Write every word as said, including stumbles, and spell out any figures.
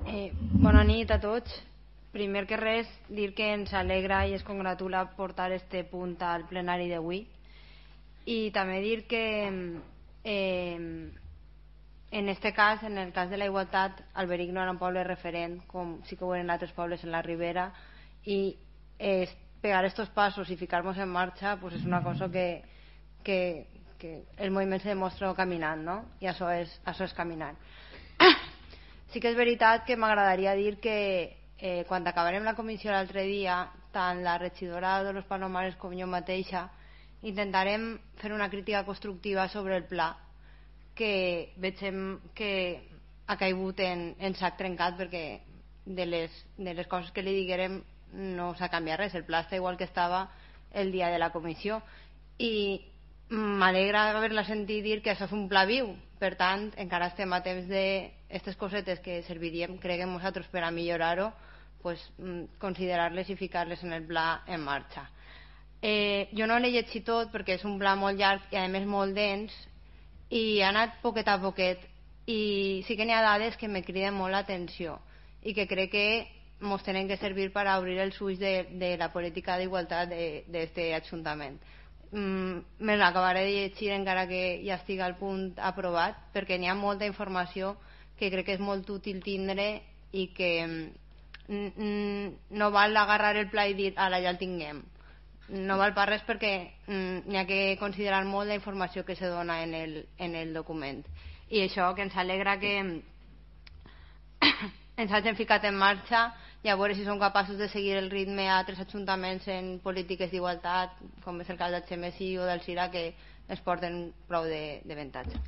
Eh, bona nit a tots. Primer que res, dir que ens alegra i es congratula portar este punt al plenari d'avui, i també dir que eh, en este cas, en el cas de la igualtat, Alberic no era un poble referent, com sí que ho eren altres pobles en la Ribera, i eh, pegar estos passos i ficar-nos en marxa pues és una cosa que, que, que el moviment se demostra caminant, no? I això és, això és caminant. Sí que és veritat que m'agradaria dir que eh, quan acabarem la comissió l'altre dia, tant la regidora de los Palomares com jo mateixa intentarem fer una crítica constructiva sobre el pla, que veiem que ha caigut en, en sac trencat, perquè de les, de les coses que li diguérem no s'ha canviat res, el pla està igual que estava el dia de la comissió, i m'alegra haver-la sentit dir que això és un pla viu. Per tant, encara estem a temps d'aquestes cosetes que serviríem, creguem nosaltres, per a millorar-ho, pues, considerar-les i ficar-les en el pla en marxa. Eh, jo no l'he llegit tot perquè és un pla molt llarg i a més molt dens, i ha anat poquet a poquet, i sí que n'hi ha dades que me criden molt l'atenció i que crec que ens tenen que servir per a obrir els ulls de, de la política d'igualtat d'aquest Ajuntament. Mm, me l'acabaré de llegir encara que ja estigui al punt aprovat, perquè n'hi ha molta informació que crec que és molt útil tindre i que mm, no val agarrar el pla i dir ara ja el tinguem. No val per res, perquè mm, n'hi ha que considerar molt la informació que se dona en el, en el document. I això, que ens alegra que ens hagin ficat en marxa, i a veure si som capaços de seguir el ritme a altres ajuntaments en polítiques d'igualtat, com és el cas del Xemesí o del Cira, que ens porten prou d'avantatge.